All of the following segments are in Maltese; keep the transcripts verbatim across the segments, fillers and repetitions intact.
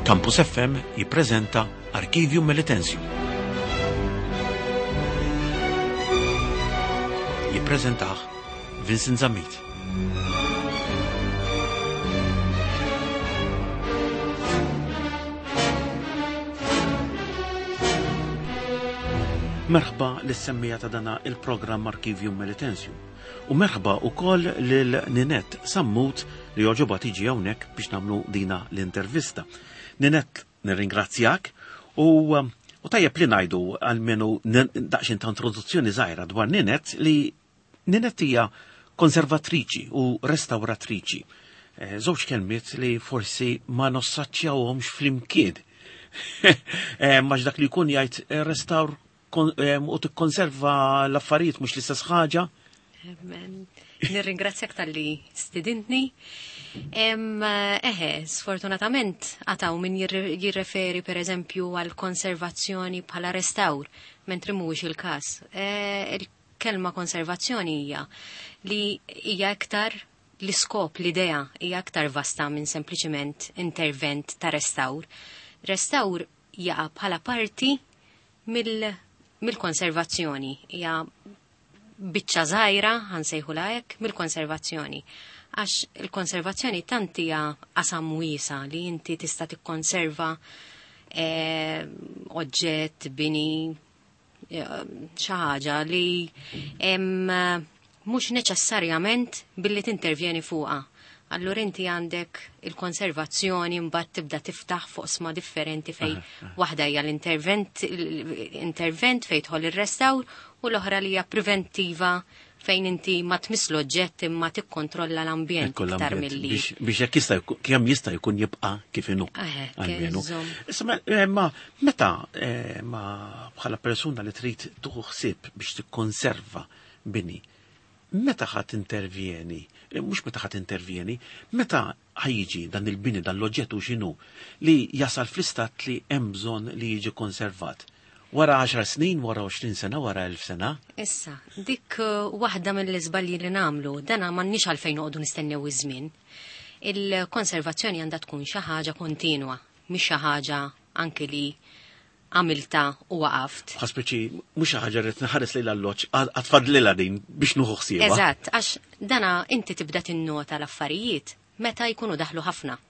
Campus F M jippreżenta Archivium Melitensium. Jippreżentah Vincent Zammit. Merħba lis-semmiegħa ta' dana il-programm Archivium Melitensium. U merħba ukoll lil Ninette Sammut li għoġobha tiġi hawnhekk biex nagħmlu dina l-intervista. Ninette, nirringrazzjak u u tajjeb li ngħidu għalmenu daqsxejn ta' introduzzjoni żgħira dwar Ninette li Ninette hija konservatriċi u restawratriċi. Eh, żewġ kelmiet li forsi ma nossaċċjawhomx flimkien. Eh, Max dak li jkun jgħid eh, restawr u tikkonserva l-affarijiet mhux l-istess ħaġa. Nirringrazzjak talli stidintni. Eħe, sfortunatament għad hawn min jirreferi per eżempju għal konservazzjoni bħala restawr, mentri mhuwiex il-każ. E, il-kelma konservazzjoni hija li hija iktar l-iskop, l-idea hija aktar vasta minn sempliċiment intervent ta' restawr. Restawr jaqa' bħala parti mill-konservazzjoni. Hija biċċa żgħira, ħa nsejħulha hekk, mill-konservazzjoni. Għax il-konservazzjoni tant hija qasam wiesa li inti tista' tikkonserva eh, oġġett, bini, eh, xi ħaġa li mhux neċessarjament billi tintervjeni fuqha. Allura inti għandek il-konservazzjoni, mbagħad tibda tiftaħ fuq oqsma differenti fej waħda hija l-intervent intervent fejn tidħol ir-restawr u l-oħra li hija preventiva fejn inti ma tmiss l-oġġett imma tikkontrolla l-ambjent iktar milli. Biex jekk jista' kemm jista' jkun jibqa' kif inhu. Almenu. Issa eh, ma meta eh, ma bħala persuna li trid tieħu ħsieb biex tikkonserva bini, meta ħa tintervjeni, eh, mhux meta ħa tintervjeni, meta ħa jiġi dan il-bini, dan l-oġġett u x'inhu li jasal fl-istat li hemm bżonn li jiġi konservat? Wara għaxar snin, wara għoxrin sena, wara elf sena? Issa, dik uh, waħda mill-iżbalji li nagħmlu, dana m'għandniex għalfejn noqogħdu nistennew iż-żmien. Il-konservazzjoni għandha tkun xi ħaġa kontinwa, mhix xi ħaġa anke li għamilta u waqaft. Speċi, mhux xi ħaġa rrid nħares lejn l-alloġġ, għad fadlilha din biex nieħu ħsiebha. Eżatt, għax dana inti tibda tinnota l-affarijiet meta jkunu daħlu ħafna.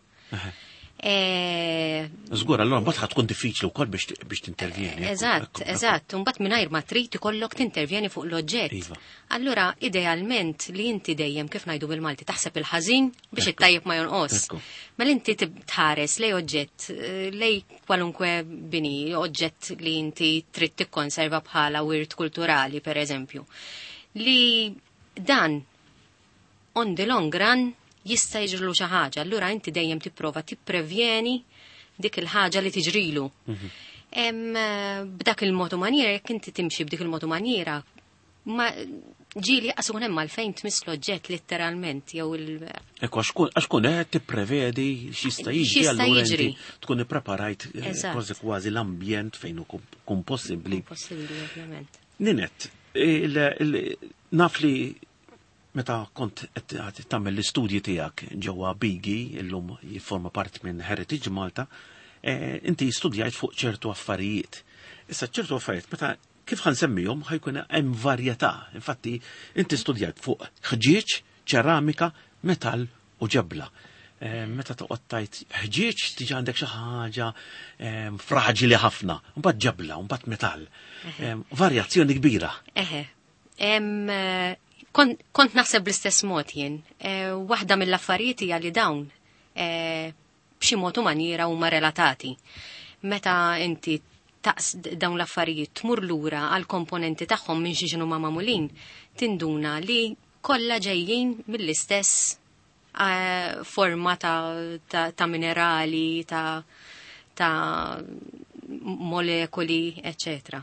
Eh, Żgur, allura mbagħad tkun diffiċli wkoll biex tintervjeni. Eżatt, eżatt, mbagħad mingħajr ma trid ikollok tintervjeni fuq l-oġġett. Iva. Allura idealment li inti dejjem, kif ngħidu bil-Malti, taħseb il-ħażin biex it-tajjeb ma jonqos. Mela inti tħares lej oġġett, eh, lej kwalunkwe bini, oġġett li inti trid tikkonserva bħala wirt kulturali, per eżempju. Li dan on the long run jista' jiġrilu xi ħaġa, allura inti dejjem tipprova tipprevjeni dik il-ħaġa li tiġrilu. Mhm. B'dak il-mod u maniera, jekk inti timxi b'dik il-mod u maniera, ma ġieli qas hemm għalfejn tmiss l-oġġett letteralment jew il Ekku, għax kun qed tipprevedi x'jista' jiġri, allura inti tkun ippreparajt eh, kważi kważi l-ambjent fejn hu kun possibbli. Possibbli, ovvjament. Ninette, naf li meta kont qed tagħmel l-istudji tiegħek ġewwa Bigi, illum jifforma part minn Heritage Malta, eh, inti studjajt fuq ċertu affarijiet. Issa ċertu affarijiet, meta kif ħa nsemmihom ħa jkun hemm varjetà. Infatti, inti studjajt fuq ħġieġ, ċeramika, metall u ġebla. Eh, meta toqgħod tgħid ħġieġ tiġi għandek xi ħaġa eh, fraġili ħafna, mbagħad ġebla, mbagħad metall. Varjazzjoni kbira. Eħe. Kont naħseb bl-istess mod jien. E, waħda mill-affarijiet hija li dawn e, b'xi mod u maniera huma relatati. Meta inti taqs dawn l-affarijiet tmur lura għal komponenti tagħhom minn xi ma magħmulin, tinduna li kollha ġejjin mill-istess e, forma ta', ta, ta minerali, ta', ta molekoli, eccetera.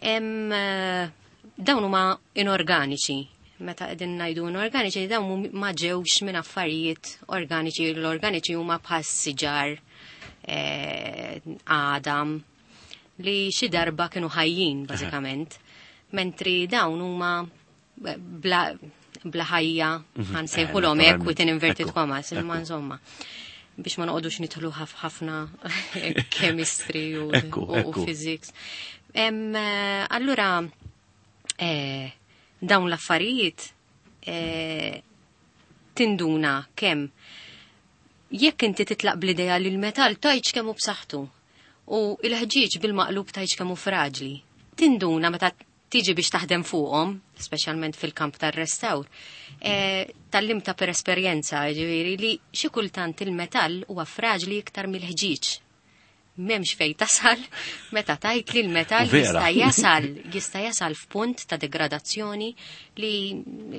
Dawn huma inorganiċi. Meta qegħdin ngħidu inorganiċi, dawn ma ġewx minn affarijiet organiċi. L-organiċi huma bħal siġar, eh, għadam, li xi darba kienu ħajjin bażikament, mentri dawn huma bla, bla ħajja, mhm. ħa nsejħulhom hekk within inverted commas, imma insomma. Biex ma noqogħdux nidħlu ħafna chemistry u, Ekku, u, ekku. u physics. Em, eh, allura, eh, dawn l-affarijiet eh, tinduna kemm jekk inti titlaq bl-idea li l-metall tajċ kemm hu b'saħħtu u l-ħġieġ bil-maqlub tajċ kemm hu fraġli. Tinduna meta tiġi biex taħdem fuqhom, speċjalment fil-kamp tar-restawr, eh, tallimta per esperjenza, ġifieri li xi kultant il-metall huwa fraġli iktar mill-ħġieġ. M'hemmx fej tasal meta tajt li l-metall U vera. jista' jasal jista' jasal f'punt ta' degradazzjoni li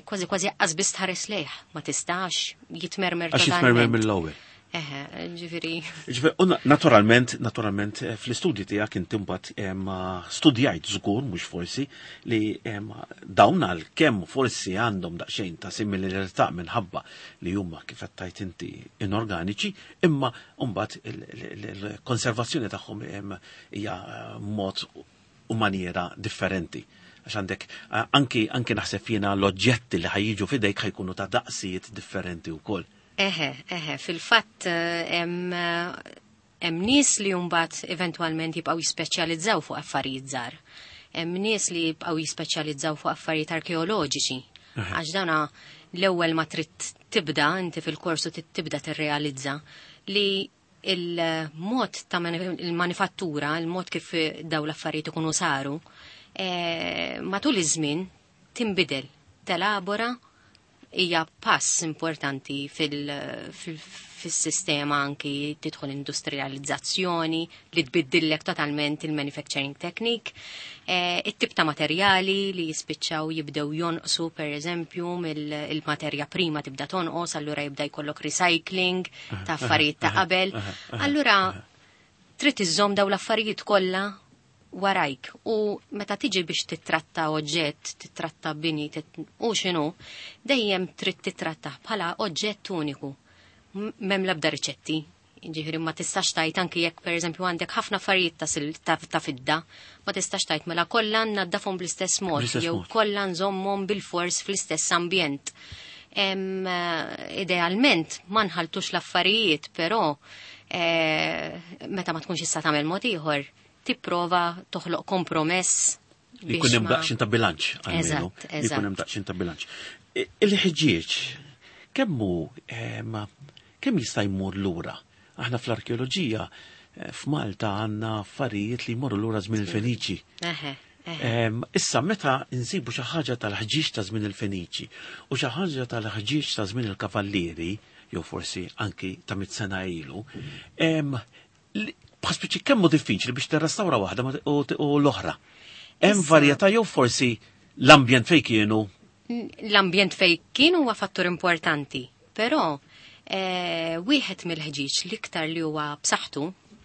kważi kważi qas biss tħares lejh, ma tistax jitmermer Għax jitmermer totalment. mill-ewwel. Eħe, ġifieri. Ġifieri, u na- naturalment, naturalment, eh, fl-istudji tiegħek inti mbagħad em, studjajt żgur, mhux forsi, li em, dawn għal kemm forsi għandhom daqsxejn ta' similarità minħabba li huma kif qed tgħid inti inorganiċi, imma mbagħad il- il- il-konservazzjoni tagħhom em, hija eh, mod u maniera differenti. Għax għandek eh, anki anki naħseb jiena l-oġġetti li ħa jiġu f'idejk ħa jkunu ta' daqsijiet differenti wkoll. Eħe, eħe, fil-fatt eh, hemm eh, hemm nies li mbagħad eventwalment jibqgħu jispeċjalizzaw fuq affarijiet żgħar. Hemm nies li jibqgħu jispeċjalizzaw fuq affarijiet arkeoloġiċi. Għax dana l-ewwel ma trid tibda inti fil-korsu trid tibda tirrealizza li il-mod ta' mani- il-manifattura, il-mod kif daw l-affarijiet ikunu saru, eh, matul iż-żmien tinbidel, telabora hija pass importanti fil- fil- fis-sistema anki tidħol industrializzazzjoni li tbiddillek totalment il-manufacturing technique, eh, it-tip ta' materjali li jispiċċaw jibdew jonqsu per eżempju mill-materja prima tibda tonqos, allura jibda jkollok recycling ta' affarijiet ta' qabel. Allura trid iżżomm daw l-affarijiet kollha warajk u meta tiġi biex titratta oġġett, titratta bini, tit u x'inhu, dejjem trid titratta bħala oġġett uniku. M- M'hemm l-ebda riċetti. Ġifieri ma tistax tajt anki jekk pereżempju għandek ħafna affarijiet ta' sil- ta' ta' fidda, ma tistax tajt mela kollha naddafhom bl-istess mod Bl-istess jew mod. kollha nżommhom bil-fors fl-istess ambjent. Em, eh, idealment ma nħaltux l-affarijiet, però eh, meta ma tkunx issa tagħmel mod ieħor, tipprova toħloq kompromess Li biex jkun hemm ma- daqsxejn ta' bilanċ almenu. Eżatt, Li jkun hemm eżatt. daqsxejn ta' bilanċ. I- Il-ħġieġ kemm hu em, kemm jista' jmur lura? Aħna fl-arkeoloġija eh, f'Malta għandna affarijiet li jmorru lura żmien il-Feniċi. Eħe, eħe. Em, Issa meta nsibu xi ħaġa tal-ħġieġ ta' żmien il-Feniċi u xi ħaġa tal-ħġieġ ta' żmien il-Kavallieri, jew forsi anki ta' mit sena ilu, em, li- bħal speċi kemm hu diffiċli biex tirrestawra waħda ma- u u l-oħra. Hemm Issa- varjetà jew forsi l-ambjent fejn kienu L-ambjent fej kien huwa fattur importanti, però eh, wieħed mill-ħġieġ l-iktar li huwa b'saħħtu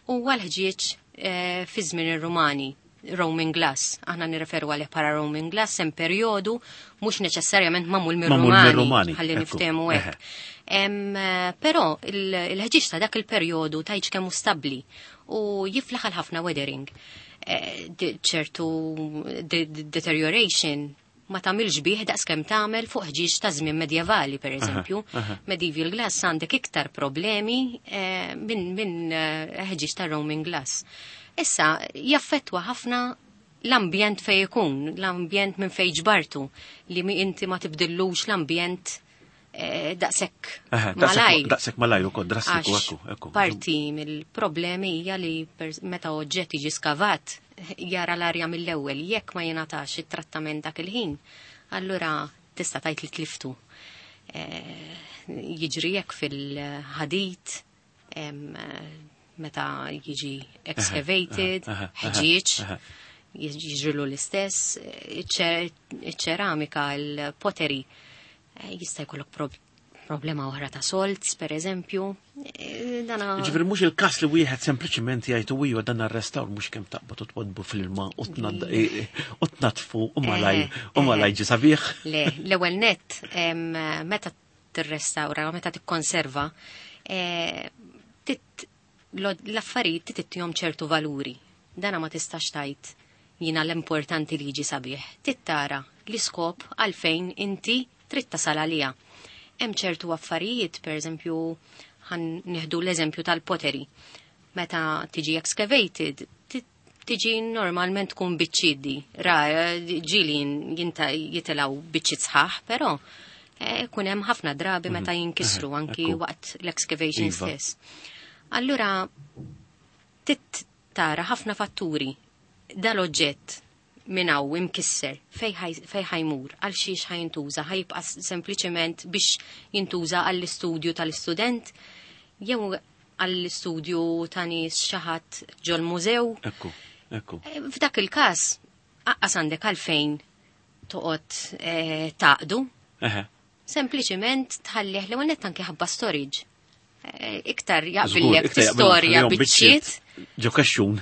huwa l-ħġieġ eh, fi żmien ir-Rumani, Roman glass. Aħna nirreferu għalih bħala Roman glass hemm perjodu mhux neċessarjament magħmul Magħmul mir-Rumani, mir-Rumani, ħalli ekku, niftehmu eħe. hekk. Em, eh, Però il- il-ħġieġ ta' dak il-perjodu tajġ kemm hu stabbli u jiflaħ għal ħafna weathering. Eh, di- ċertu de- de- deterioration ma tagħmilx bih daqs kemm tagħmel fuq ħġieġ ta' żmien medjevali pereżempju. Medieval glass għandek iktar problemi eh, minn min eh, ħġieġ ta' Roman glass. Issa jaffettwa ħafna l-ambjent fej ikun, l-ambjent minn fej ġbartu, li mi inti ma tibdillux l-ambjent eh, daqshekk Eħe, malajr. daqshekk daqshekk malajr ukoll drastiku Għax ekku, ekku. Parti mill-problemi hija li per- meta oġġett jiġi skavat jara l-arja mill-ewwel jekk ma jingħatax it-trattament dak il-ħin, allura tista' tgħid li tliftu. Eh, Jiġri jekk fil-ħadid, em, eh, meta jiġi excavated, eħe, eħe, ħġieġ, eħe. jiġrilu l-istess, iċ- iċ-ċeramika, il-pottery, eh, jista' jkollok prob- problema oħra ta' salts, per eżempju. Eh, Dana Ġifieri mhux il-każ li wieħed sempliċiment jgħid u iva dan arrestawr mhux kemm taqbad u twadbu fil-ilma u tnadd- e- e- u tnatfu u malaj u malaj ġi sabiħ. Le, l-ewwel net, em, meta tirrestawra, meta tikkonserva, eh, tit- lo- l-affarijiet titittihom ċertu valuri. Dana ma tistax tajt jina l-importanti li jiġi sabiħ. Tittara l-iskop għalfejn inti trid tasal għalija. Hemm ċertu affarijiet, per eżempju, Ħa nieħdu l-eżempju tal-pottery. Meta tiġi excavated, tiġi normalment tkun biċċiet, ra, ġieli jinta jitilgħu biċċiet sħaħ, però eh, kun hemm ħafna drabi meta mhm. jinkisru anki waqt l-excavation iva. stess. Allura, tit tara ħafna fatturi. Dal-oġġett minn hawn imkisser fej ħa jmur, għal xiex ħa jintuża, ħa jibqa' sempliċement biex jintuża għall-istudju tal-istudent, jew għall-istudju ta' nies xi ħadd ġol-mużew. Ekku, ekku. Eh, f'dak il-każ, aqqas għandek għalfejn toqgħod eh, taqdu. Sempliċement tħallih li għonet anki ħabba storage. Eh, iktar jaqbillek tistorja biċċiet. Ġo kaxxun.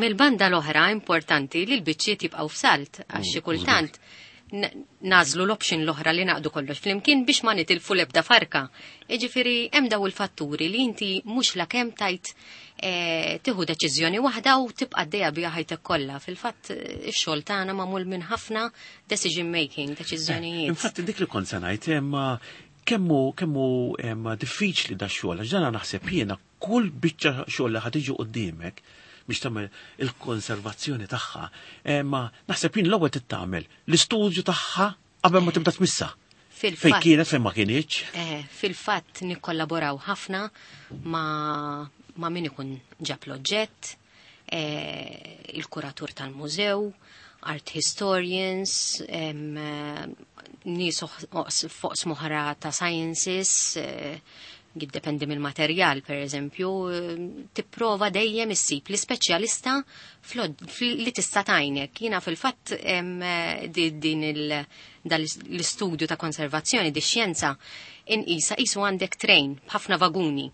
Mill-banda l-oħra importanti li l-biċċiet jibqgħu f'salt għax xi kultant nagħżlu l-option l-oħra li naqdu kollox flimkien biex ma nitilfu l-ebda farka. Iġifieri hemm daw il-fatturi li inti mhux la kemm tajt eh, tieħu deċiżjoni waħda u tibqa' għaddejja biha ħajtek kollha. Fil-fatt ix-xogħol tagħna magħmul minn ħafna decision making, deċiżjonijiet. Infatti dik li kont se ngħid imma kemmu kemmu diffiċli da xogħol għax dana naħseb jiena kull biċċa xogħol li ħa tiġi quddiemek biex tagħmel il-konservazzjoni tagħha, ma naħseb jien l-ewwel tagħmel l-istudju tagħha qabel ma tibda tmissa. Fejn kienet fejn ma kienx. Eh, fil-fatt nikkollaboraw ħafna ma ma min ikun ġab l-oġġett, eh, il-kuratur tal-mużew, art historians, nies fuq oħra ta' sciences, eh, jiddependi mill-materjal, per eżempju, tipprova dejjem issib l-ispeċjalista li tista' tgħinek. Jiena fil-fatt din l-istudju ta' konservazzjoni, di xjenza, inqisa qisu għandek train b'ħafna vaguni.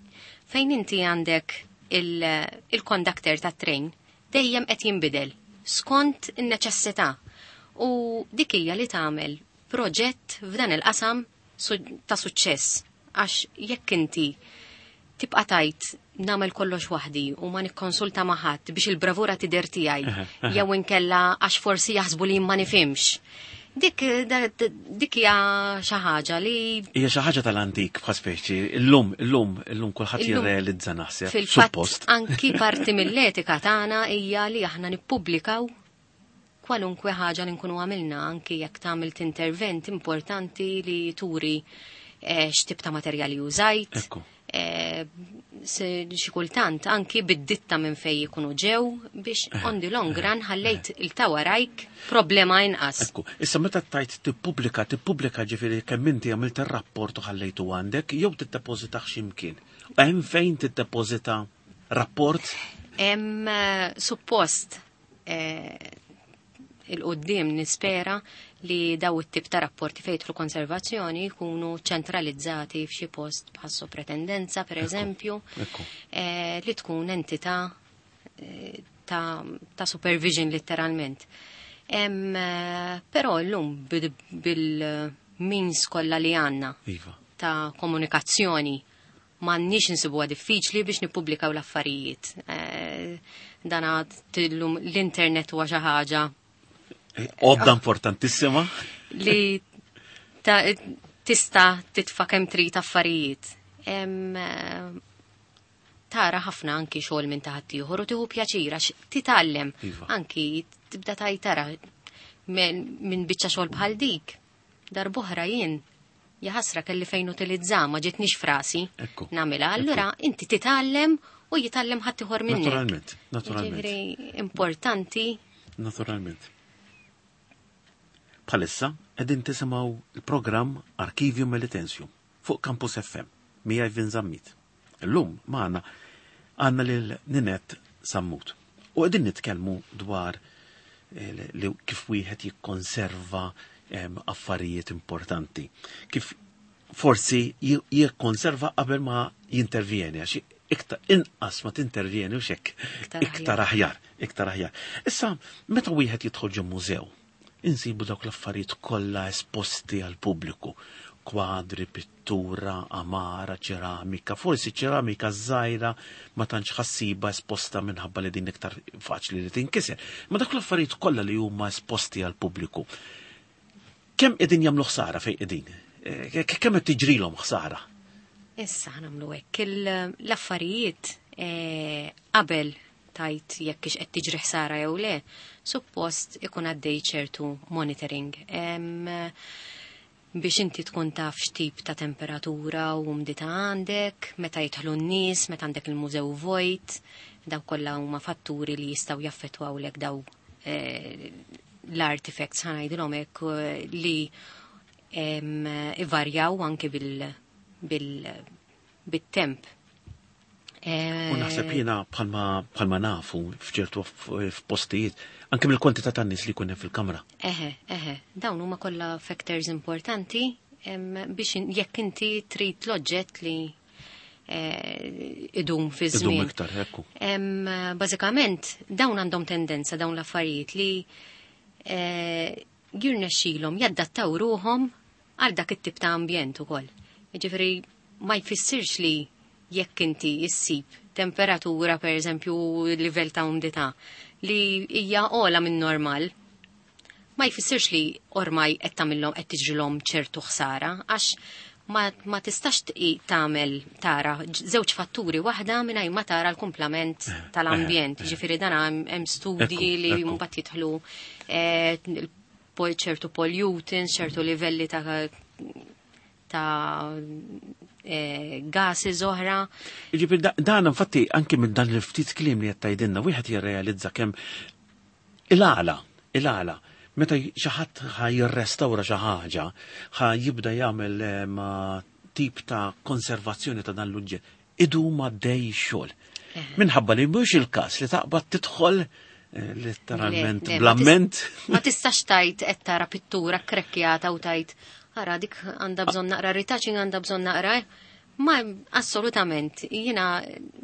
Fejn inti għandek il-conductor ta' train dejjem qed jinbidel skont in-neċessità. U dik hija li tagħmel proġett f'dan il-qasam ta' suċċess. Għax jekk inti tibqa' tajt nagħmel kollox waħdi u ma nikkonsulta ma' ħadd biex il-bravura tidher tiegħi jew inkella għax forsi jaħsbu li ma nifhimx. Dik dik hija xi ħaġa li Hija xi ħaġa tal-antik bħal speċi, illum illum illum kulħadd jirrealizza naħseb. Fil-fatt anki parti mill-etika tagħna hija li aħna nippubblikaw kwalunkwe ħaġa li nkunu għamilna anki jekk tagħmel intervent importanti li turi eh, x'tip ta' materjali użajt. Eh, xi kultant anki bid-ditta minn fej jikunu ġew biex on the long run ħallejt il-ta' warajk problema inqas. Ekku, issa meta tajt tippubblika, tippubblika ġifieri kemm inti għamilt ir-rapport u ħallejtu għandek, jew tiddepożita x'imkien. Hemm fejn tiddepożita rapport? Hemm eh, suppost il-qoddim nispera li daw it-tip ta' rapporti fejn jidħlu konservazzjoni jkunu ċentralizzati f'xi post bħas sopratendenza, per eżempju, eh, li tkun entità eh, ta', ta supervision letteralment. Em, eh, però llum bil-means kollha li għandna iva. ta' komunikazzjoni m'għandniex insibuha diffiċli biex nippubblikaw l-affarijiet. Eh, dana illum l-internet huwa xi ħaġa Għodda importantissima. Li tista titfa' kemm trid affarijiet. Em, tara ħafna anki xogħol minn ta' ħaddieħor u tieħu pjaċir għax titgħallem. Iva. Anki tibda taj tara minn biċċa xogħol bħal dik. Darb'oħra jien jaħasra kelli fejn utilizza ma ġietnix frasi nagħmilha. Allura inti titgħallem u jitgħallem ħaddieħor minnek. Naturalment, naturalment. Ġifieri importanti. Naturalment. Bħalissa qegħdin tisimgħu il-programm Archivio Melitensium fuq Campus F M miegħi Vin Zammit. Illum magħna għandna lil Ninette Sammut. U qegħdin nitkellmu dwar eh, li kif wieħed jikkonserva em, affarijiet importanti. Kif forsi jikkonserva qabel ma jintervjeni, għax iktar inqas ma tintervjeni u xek iktar aħjar, iktar aħjar. Issa, meta wieħed jidħol ġo mużew, insibu dawk l-affarijiet kollha esposti għal pubbliku, kwadri, pittura, amara, ċeramika, forsi ċeramika żgħira ma tantx ħassiba esposta minħabba li din iktar faċli li tinkiser. Ma dak l-affarijiet kollha li huma esposti għal pubbliku. Kemm qegħdin jagħmlu ħsara fejn qegħdin? Eh, kemm qed tiġrilhom ħsara? Issa ħa nagħmlu hekk. L-affarijiet eh, qabel tajt jekk ix qed tiġri ħsara jew le, suppost ikun għaddej ċertu monitoring. Em, biex inti tkun taf x'tip ta' temperatura u umdità għandek, meta jidħlu n-nies, meta għandek il-mużew vojt, daw kollha huma fatturi li jistgħu jaffettwawlek daw eh, l-artifacts ħa ngħidilhom hekk eh, li em, ivarjaw anke bil, bil, bit-temp. U naħseb jiena bħalma bħalma nafu f'ċertu f'postijiet, anke mill-kwantità tan-nies li jkun hemm fil-kamra. Eħe, eħe, dawn huma kollha factors importanti em, biex in- jekk inti trid l-oġġett li eh, idum fi Idum żmien. iktar, ekku. Em, Bażikament, dawn għandhom tendenza, dawn l-affarijiet li eh, jirnexxilhom jaddattaw ruhom għal dak it-tip ta' ambjent ukoll. Jiġifieri ma jfissirx li jekk inti issib temperatura, per eżempju, livell ta' umdità li hija ogħla minn normal, ma jfissirx li ormai qed tagħmilhom qed tiġrilhom ċertu ħsara, għax ma, ma tistax tqi tagħmel tara ġ- żewġ fatturi waħda mingħajr ma tara l-kumplament tal-ambjent. Ġifieri dan hemm hemm studji Ekku, li ekku. mbagħad jidħlu eh, il- pol- ċertu pollutants, ċertu livelli ta' ta' eh, gases oħra. Jiġifieri da- dan infatti anke minn dan il-ftit kliem li qed tgħidilna wieħed jirrealizza kemm il-għala, il-għala, meta xi ħadd ħa jirrestawra xi ħaġa, ħa jibda jagħmel eh, ma tip ta' konservazzjoni ta' dan l-oġġett, idum għaddej xogħol. Minħabba li mhux il-każ li taqbad tidħol eh, letteralment Le, le, ma tis- bl-amment. Ma tistax tajt qed tara pittura krekkjata u tajt ara dik għandha bżonn naqra retouching, għandha bżonn naqra. Ma assolutament, jiena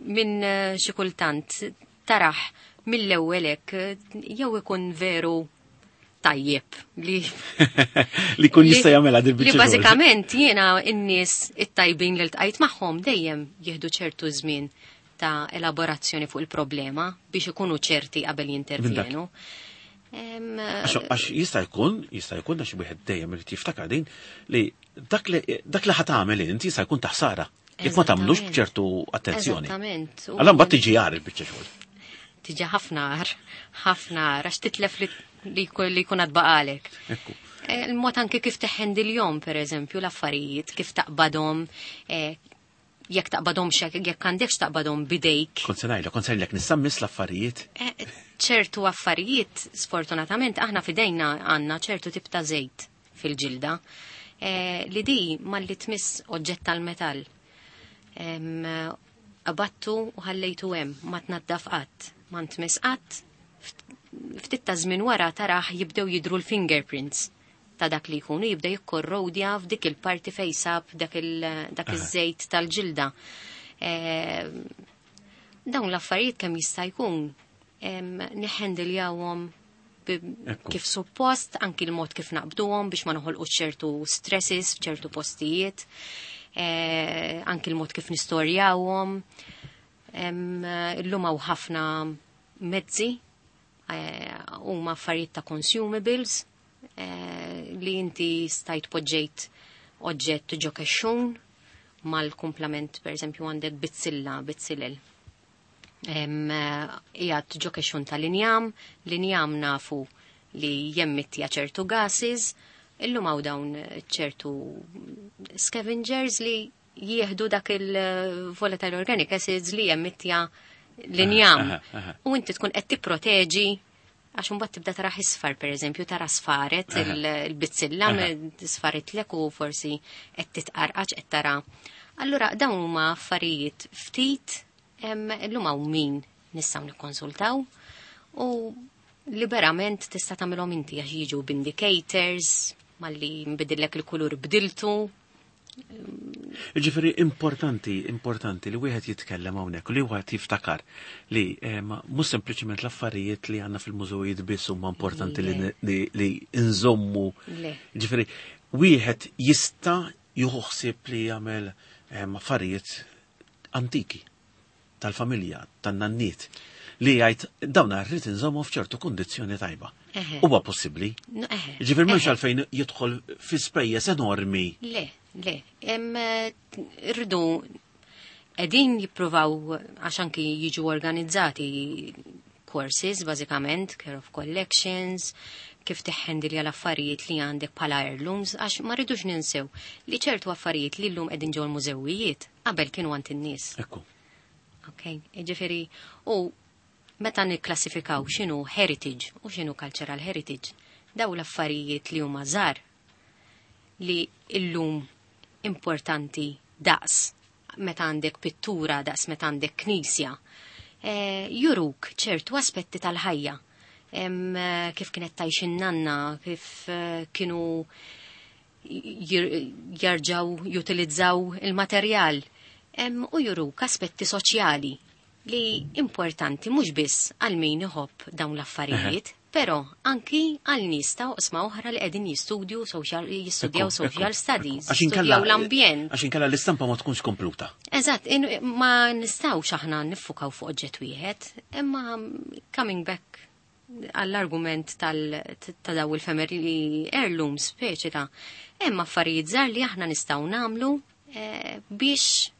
minn eh, xi kultant taraħ mill-ewwel hekk eh, jew ikun veru tajjeb li li kun jista' jagħmilha din Li biċċa xogħol. bażikament jiena n-nies it-tajbin li ltqajt magħhom dejjem jieħdu ċertu żmien ta' elaborazzjoni fuq il-problema biex ikunu ċerti qabel jintervjenu. Em, Għax għax jista' jkun, jista' jkun għax wieħed dejjem irid jiftakar din li dak li dak li ħa tagħmel inti jista' jkun taħsara. Jekk ma tagħmlux Eżattament. b'ċertu attenzjoni. Eżattament. U- Allora mbagħad tiġi għar il-biċċa xogħol. Tiġi ħafna għar, ħafna għar, għax titlef li li jkun li jkun għad baqalek. Ekku. Eh, Il-mod anke kif teħendilhom, per eżempju, l-affarijiet, kif taqbadhom, eh, jekk taqbadhom jekk għandekx taqbadhom bidejk. Kont se ngħidlek, kont se ngħidlek nissammis l-affarijiet. Eh, ċertu affarijiet, sfortunatament, aħna fidejna għandna ċertu tip ta' żejt fil-ġilda, eh, li di malli tmiss oġġett tal-metall. Em, Abattu u ħallejtu hemm, ma tnaddaf qatt, ma ntmiss qatt, ftit ta' żmien wara taraħ jibdew jidru l-fingerprints ta' dak li jkunu jibda jikkorrodja f'dik il-parti fejn sab dak il- dak iż-żejt tal-ġilda. Eh, Dawn l-affarijiet kemm jista' jkun em, niħendiljawhom bi- Ekku. kif suppost, anki l-mod kif naqbduhom biex ma noħolqu ċertu stresses f'ċertu postijiet, eh, anki l-mod kif nistorjawhom. Em, Illum hawn ħafna mezzi eh, huma affarijiet ta' consumables eh, li inti stajt poġġejt oġġett ġo kexxun mal-kumplament per eżempju għandek bizzilla, bizzilel. Em, eh, Qiegħed ġo kexxun tal-injam, l-injam nafu li jemmittja ċertu gases, illum hawn dawn ċertu scavengers li jieħdu dak il-volatile organic acids li jemmittja l-injam. Aha, aha. U inti tkun qed tipproteġi għax imbagħad tibda tara isfar pereżempju, tara sfaret Aha. il- il-bizzilla Aha. sfaret lek u forsi qed titqarqax qed tara. Allura dawn huma affarijiet ftit em, illum hawn min nistgħu nikkonsultaw u liberament tista' tagħmilhom inti għax jiġu b'indicators malli nbidillek il-kulur bdiltu. Ġifieri importanti, importanti li wieħed jitkellem hawnhekk u li wieħed jiftakar li eh, ma mhux sempliċement l-affarijiet li għandna fil-mużewijiet biss huma importanti li, Le. li, li nżommu. Le. Ġifieri wieħed jista' jieħu ħsieb li jagħmel eh, affarijiet antiki tal-familja, tan-nanniet. li jgħid dawn rrid inżommu f'ċertu kundizzjoni tajba. Huwa possibbli. Ġifier mhux għalfejn jidħol fi spejjeż enormi. Le, le. Rridu qegħdin jippruvaw għax anki jiġu organizzati courses, bażikament, care of collections, kif tiħħendilja l-affarijiet li għandek bħala heirlooms, għax ma rridux ninsew li ċertu affarijiet li llum qegħdin ġol mużewijiet qabel kienu għand in-nies. Ekku. Ok, ġifieri, u meta nikklassifikaw x'inhu heritage u x'inhu cultural heritage, daw l-affarijiet li huma żgħar li illum importanti daqs meta għandek pittura, daqs meta għandek knisja, e, juruk ċertu aspetti tal-ħajja. Em, kif kienet tgħix in-nanna, kif eh, kienu jarġaw jutilizzaw il-materjal. Em, u juruk aspetti soċjali li importanti mhux biss għal min iħobb dawn l-affarijiet, però anki għal nies ta' oqsma oħra li qegħdin jistudju social jistudjaw social studies, jistudjaw l-ambjent. Għax inkella l-istampa ma tkunx kompluta. Eżatt, ma nistgħux aħna niffukaw fuq oġġett wieħed, imma coming back għall-argument ta' daw il-family heirlooms, speċi ta' hemm affarijiet żgħar li aħna nistgħu nagħmlu eh, biex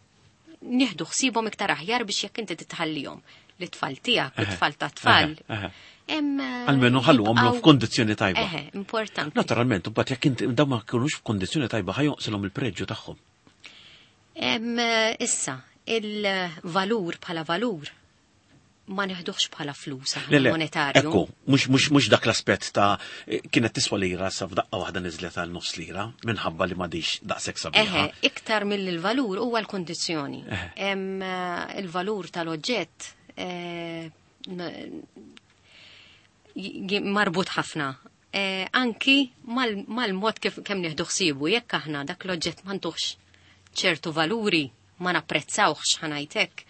nieħdu ħsiebhom iktar aħjar biex jekk inti titħallihom l-tfal tiegħek, it-tfal ta' tfal. Almenu ħallu għamlu f'kondizzjoni tajba. Eħe, importanti. Naturalment, u bat jekk inti dawn ma kienux f'kondizzjoni tajba ħa jonqsilhom il-preġju tagħhom. Issa, il-valur bħala valur ma neħduħx bħala flus monetarju. Ekku, mhux dak l-aspett ta' kienet tiswa lira sa f'daqqa waħda niżlet għal nofs lira minħabba li m'għadix daqshekk sabiħa. Eħe, iktar mill-valur huwa l-kondizzjoni. Il-valur tal-oġġett marbut ħafna. Anki mal-mod kif kemm nieħdu ħsiebu, jekk aħna dak l-oġġett ma ntuħx ċertu valuri, ma napprezzawx ħanajtek.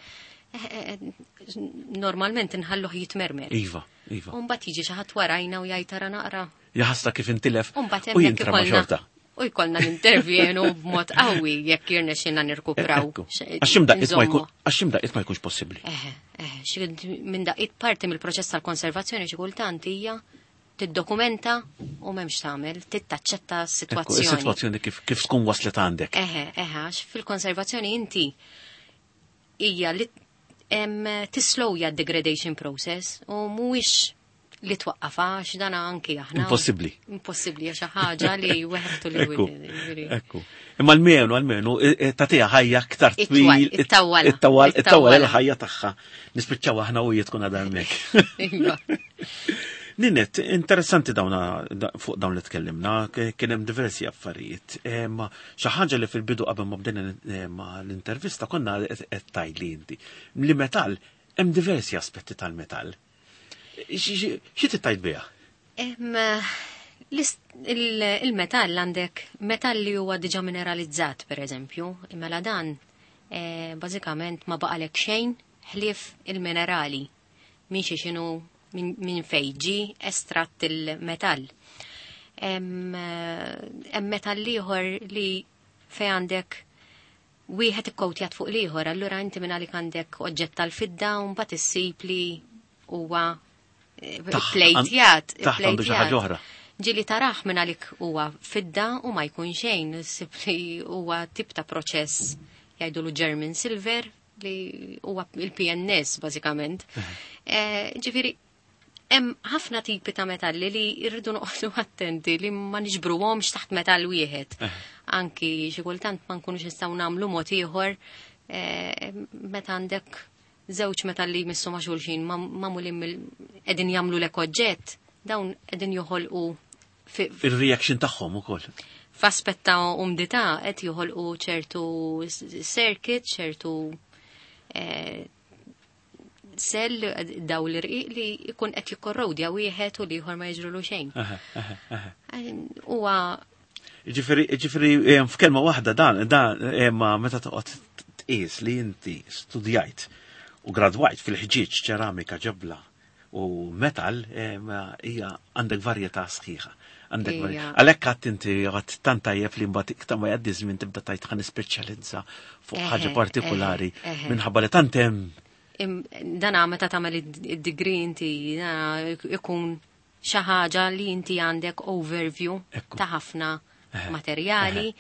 Normalment nħalluh jitmermer. Iva, iva. Umbagħad jiġi xi ħadd warajna u jgħid tara naqra. Jaħasra kif intilef u jintrama xorta. U jkollna nintervjenu b'mod qawwi jekk jirnexxilna nirkupraw. Għax x'imdaqqiet ma jkunx possibbli. Eħe, eħe, minn daqqiet parti mill-proċess tal-konservazzjoni xi kultant hija tiddokumenta u m'hemmx tagħmel, tittaċċetta s-sitwazzjoni. Is-sitwazzjoni kif tkun waslet għandek. Eħe, eħe, għax fil-konservazzjoni inti hija li tislowja degradation process u mhuwiex li twaqqafha għax dana anki aħna. Impossibbli. Impossibbli għax ħaġa li weħtu li ekku. Ekku. Imma almenu almenu tagħtiha ħajja aktar twil. Ittawwal. Ittawwal ittawwal il-ħajja tagħha. Nispiċċaw aħna u tkun għadha hemmhekk. Ninett, interessanti dawna fuq dawn li tkellimna, kien hemm diversi affarijiet. Ma xi ħaġa li fil-bidu qabel ma bdejna l-intervista konna qed tgħidli inti. Li metall hemm diversi aspetti tal-metall. Xi tittajt biha? Il-metall għandek metall li huwa diġà mineralizzat, pereżempju, mela dan bażikament ma baqalek xejn ħlief il-minerali minn xi x'inhu minn fejn ġie estratt il-metall. Hemm metall ieħor li fej għandek wieħed ikkowtjat fuq l-ieħor, allura inti minn għalik għandek oġġett tal-fidda u mbagħad issib li huwa plejtjat. Taħt għandu xi ħaġa oħra. Ġieli taraħ minn għalik huwa fidda u ma jkun xejn, issib li huwa tip ta' proċess jgħidulu German silver li huwa il-P N S bażikament. Ġifieri hemm ħafna tipi ta' metalli li rridu noqogħdu attenti li ma niġbruhomx taħt metall wieħed. Anki xi kultant ma nkunux nistgħu nagħmlu mod ieħor meta għandek żewġ metalli jmissu ma' xulxin magħmulin qegħdin jagħmlu lek oġġett, dawn qegħdin joħolqu il-reaction tagħhom ukoll. F'aspett ta' umdità qed joħolqu ċertu circuit, ċertu sell daw l-irqiq li jkun qed jikkorrodja wieħed u l-ieħor ma jiġrulu xejn. Huwa Ġifieri ġifieri f'kelma waħda dan dan ma meta toqgħod tqis li inti studjajt u gradwajt fil-ħġieġ, ċeramika, ġebla u metal, hija għandek varjetà sħiħa. Għandek għalhekk qatt inti qatt tant tajjeb li mbagħad iktar ma jgħaddi żmien tibda tgħid ħa nispeċjalizza fuq ħaġa partikolari minħabba li tant hemm Dana meta tagħmel id-degree inti ikun xi ħaġa li inti għandek overview ta' ħafna materjali,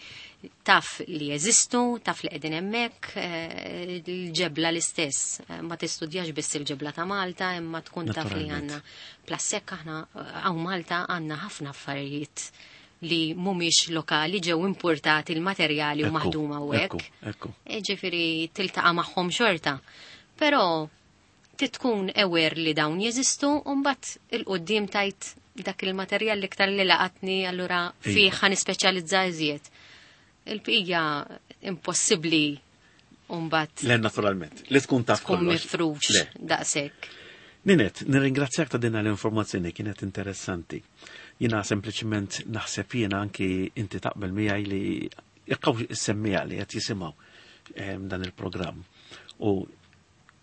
taf li jeżistu, taf li qegħdin hemmhekk, il-ġebla l-istess. Ma tistudjax biss il-ġebla ta' Malta, imma tkun taf li għandna. Plus hekk aħna hawn Malta għandna ħafna affarijiet li mhumiex lokali, ġew importati l-materjali u maħduma u hekk. Ġifieri tiltaqa' magħhom xorta. Però tkun aware li dawn jeżistu u mbagħad 'il quddiem tgħid dak il-materjal li iktar li laqatni, allura fih ħa nispeċjalizza iżjed. Il-bqija impossibbli mbagħad. Le, naturalment, li tkun taf tkun mifrux daqshekk. Ninet, nirringrazzjak ta' din l-informazzjoni, kienet interessanti. Jina sempliċement naħseb jiena anki inti taqbel miegħi li jekk hawn is-semmiegħa li qed jisimgħu dan il-programm u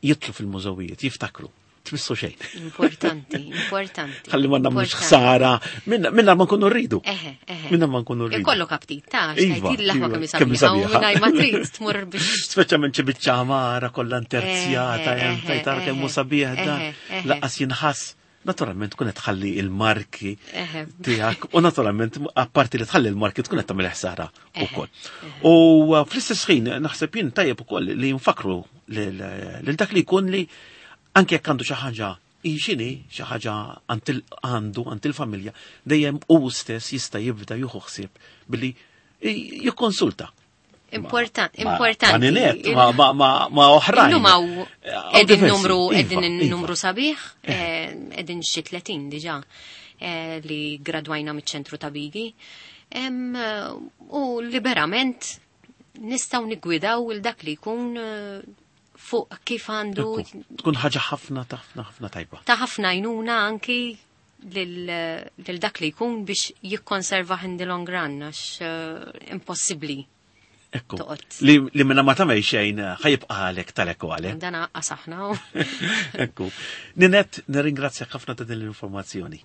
jidħlu fil-mużewijiet, jiftakru, tmissu xejn. Importanti, importanti. Ħalli ma nagħmlux ħsara, minna ma nkunu rridu. Eħe, eħe. Minna ma nkunu rridu. Ikollok aptit, ta' xtajt il-laħwa kemm sabiħa, u ma trid tmur biex. Speċjalment xi biċċa għamara kollha interzjata, hemm fejn tara kemm hu sabiħ dan, lanqas jinħass. Naturalment tkun qed tħalli il-marki tiegħek u naturalment apparti li tħalli il-marki tkun qed tagħmel ħsara ukoll. U fl-istess ħin naħseb jien tajjeb ukoll li nfakru lil dak li jkun li anke jekk għandu xi ħaġa xini, xi ħaġa għandu għand il-familja, dejjem hu stess jista' jibda jieħu ħsieb billi jikkonsulta. Importanti, importanti. Ma Ninet, ma ma ma ma oħrajn. Illum hawn qegħdin numru qegħdin numru sabiħ, qegħdin xi tletin diġà li gradwajna miċ-ċentru ta' Bigi. U liberament nistgħu niggwidaw il dak li jkun fuq kif għandu. Tkun ħaġa ħafna ħafna ħafna tajba. Ta' ħafna għajnuna anki lil dak li jkun biex jikkonserva in the long run, għax impossibbli. Ekku. Li, li minna ma tagħmel xejn ħa jibqa' għalek tal-ekku għalek. Dana qasaħna. Ekku. Ninet, nirringrazzjak ħafna ta' din l-informazzjoni.